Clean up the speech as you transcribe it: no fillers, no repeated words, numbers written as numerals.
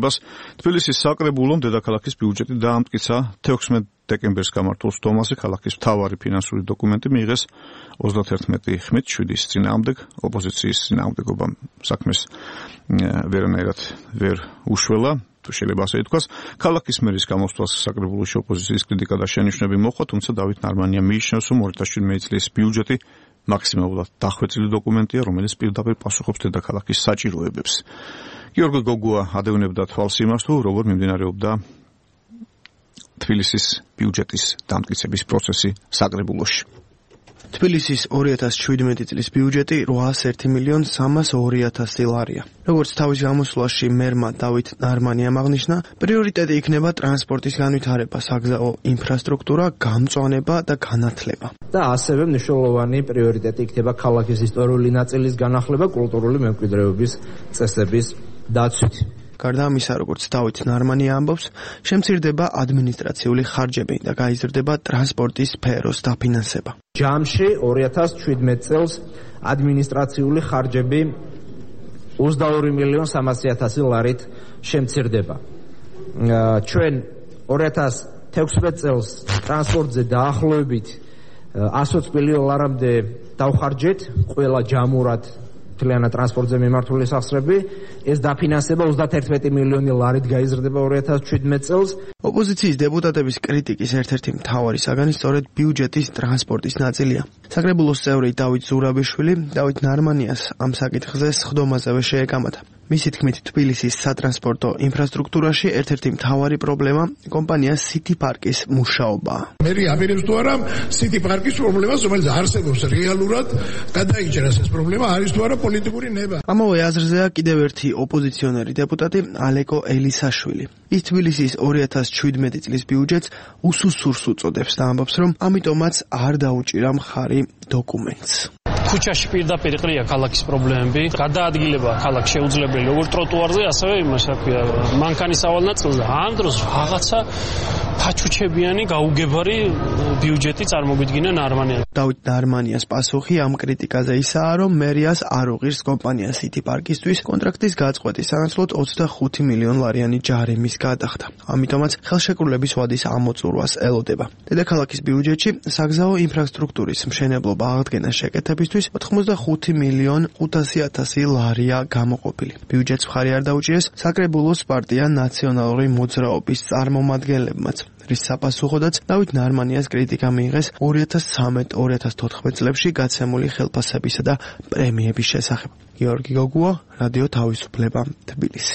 განხილვებას. თბილისის საკრებულომ დედაქალაქის ბიუჯეტი დაამტკიცა 16 დეკემბერს გამართულ სტომაზე ქალაქის მთავარი ფინანსური დოკუმენტი მიიღეს 31 ხმით 7-ის წინააღმდეგ. ოპოზიციის წინააღმდეგობა საქმეს ვერანაირად ვერ უშველა. თუ შეიძლება ასე ითქვას, ქალაქის მერის გამოსვლას საკრებულოში ოპოზიციის კრიტიკა და შენიშვნები მოხდა, თუმცა დავით ნარმანია მიიჩნევს, რომ 2017 წლის ბიუჯეტი მაქსიმალურად დახვეწილი დოკუმენტია, რომელიც პირდაპირ პასუხობს დედაქალაქის საჭიროებებს. გიორგი გოგუა ადევნებდა თვალს იმას, თუ როგორ მიმდინარეობდა თბილისის ბიუჯეტის დამტკიცების პროცესი საკრებულოში. თბილისის 2017 წლის ბიუჯეტი 801.302.000 ლარია. როგორც თავის გამოსვლაში მერმა დავით ნარმანიამ აღნიშნა, პრიორიტეტი იქნება ტრანსპორტის განვითარება, საგზაო ინფრასტრუქტურა, გამწვანება და განათლება. და ასევე მნიშვნელოვანი პრიორიტეტი იქნება ქალაქის ისტორიული ნაწილის განახლება, კულტურული მემკვიდრეობის წესების დაცვით. გარდა ამისა, როგორც დავით ნარმანია ამბობს, შემცირდება ადმინისტრაციული ხარჯები და გაიზრდება ტრანსპორტის სფეროს დაფინანსება. ჯამში 2017 წელს ადმინისტრაციული ხარჯები 22.300.000 ლარით შემცირდება. ჩვენ 2016 წელს ტრანსპორტზე დაახლოებით 120 მილიონ ლარამდე დავხარჯეთ ყველა ჯამურად მთლიანად ტრანსპორტზე მიმართული სახსრები. ეს დაფინანსება 31 მილიონი ლარით გაიზრდება 2017 წელს. ოპოზიციის დეპუტატების კრიტიკის ერთ-ერთი მთავარი საგანი სწორედ ბიუჯეტის ტრანსპორტის ნაწილია. საკრებულოს წევრი დავით ზურაბიშვილი დავით ნარმანიას ამ საკითხზე სხდომაზევე შეეკამათა. მისი თქმით, თბილისის სატრანსპორტო ინფრასტრუქტურაში ერთ-ერთი მთავარი პრობლემა კომპანია City Park-ის მუშაობაა. მერი აპირებს თუ არა City Park-ის პრობლემას, რომელიც არსებობს რეალურად, გადაიჭერას ეს პრობლემა არის თუ არა პოლიტიკური ნება. ამავე აზრზეა კიდევ ერთი ოპოზიციონერი დეპუტატი ალეკო ელისაშვილი. ის თბილისის 2017 წლის ბიუჯეტს უსუსურს უწოდებს და ამბობს, რომ ამიტომაც არ დაუჭირა მხარი დოკუმენტს. ქუჩაში პირდაპირ ყრია ქალაქის პრობლემები, გადაადგილება ქალაქ შეუძლებელი როგორც ტროტუარზე, ასევე იმას რა ქვია, მანქანის ავალ ნაწილზე. ამ დროს რაღაცა ფაჩუჩებიანი გაუგებარი ბიუჯეტი წარმოგვიდგინა ნარმანიამ. დავით ნარმანიას პასუხი ამ კრიტიკაზე ისაა, რომ მერიას არ უღირს კომპანია City Park-ისთვის კონტრაქტის გაწყვეტის სანაცვლოდ 25 მილიონ ლარიანი ჯარიმის გადახდა. ამიტომაც ხელშეკრულების ვადის ამოწურვას ელოდება. დედაქალაქის ბიუჯეტში საგზაო ინფრასტრუქტურის მშენებლობა აღდგენას შეკეთებისთვის 85 მილიონ 500.000 ლარია გამოყოფილი. ბიუჯეტს მხარი არ დაუჭირეს საკრებულოს პარტია ნაციონალური მოძრაობის წარმომადგენლებმაც, რის საპასუხოდაც დავით ნარმანიას კრიტიკა მიიღეს 2013-2014 წლებში გაცემული ხელფასებისა და პრემიების შესახებ. გიორგი გოგუა, რადიო თავისუფლება, თბილისი.